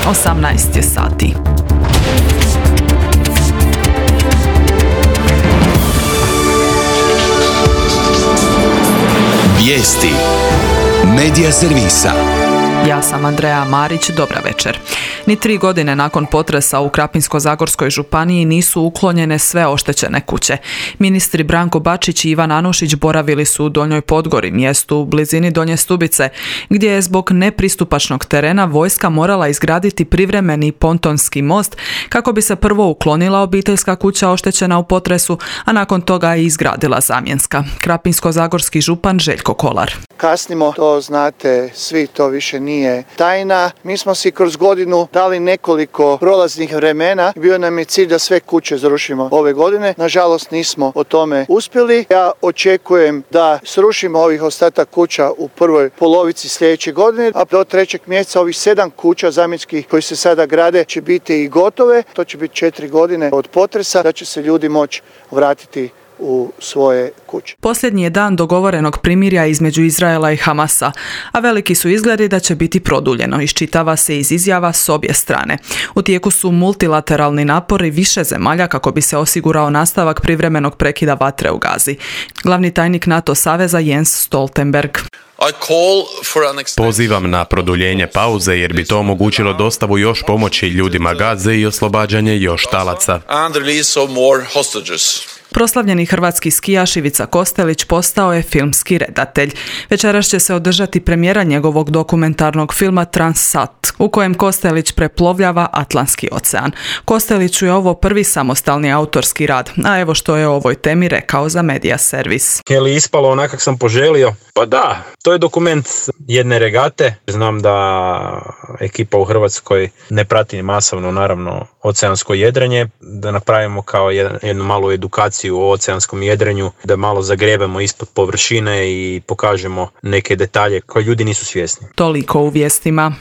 18 je sati. Vijesti Medija servisa. Ja sam Andreja Marić, dobra večer. Ni 3 godine nakon potresa u Krapinsko-zagorskoj županiji nisu uklonjene sve oštećene kuće. Ministri Branko Bačić i Ivan Anušić boravili su u Donjoj Podgori, mjestu u blizini Donje Stubice, gdje je zbog nepristupačnog terena vojska morala izgraditi privremeni pontonski most kako bi se prvo uklonila obiteljska kuća oštećena u potresu, a nakon toga i izgradila zamjenska. Krapinsko-zagorski župan Željko Kolar. Kasnimo, to znate svi, to više nije tajna. Mi smo si kroz godinu dali nekoliko prolaznih vremena. Bio nam je cilj da sve kuće zarušimo ove godine. Nažalost nismo o tome uspjeli. Ja očekujem da srušimo ovih ostatak kuća u prvoj polovici sljedeće godine, a do 3. mjeseca ovih 7 kuća zamjenskih koji se sada grade će biti i gotove. To će biti 4 godine od potresa, da će se ljudi moći vratiti u svoje kuće. Posljednji je dan dogovorenog primirja između Izraela i Hamasa, a veliki su izgledi da će biti produljeno, iščitava se iz izjava s obje strane. U tijeku su multilateralni napori više zemalja kako bi se osigurao nastavak privremenog prekida vatre u Gazi. Glavni tajnik NATO saveza Jens Stoltenberg. Pozivam na produljenje pauze jer bi to omogućilo dostavu još pomoći ljudima Gaze i oslobađanje još talaca. Proslavljeni hrvatski skijaš Ivica Kostelić postao je filmski redatelj. Večeras će se održati premijera njegovog dokumentarnog filma Transsat, u kojem Kostelić preplovljava Atlantski ocean. Kosteliću je ovo prvi samostalni autorski rad, a evo što je o ovoj temi rekao za Medija servis. Je li ispalo onak kak sam poželio? Pa da, to je dokument jedne regate. Znam da ekipa u Hrvatskoj ne prati masovno, naravno, oceansko jedrenje, da napravimo kao jednu malu edukaciju o oceanskom jedrenju, da malo zagrebemo ispod površine i pokažemo neke detalje koje ljudi nisu svjesni. Toliko u vijestima.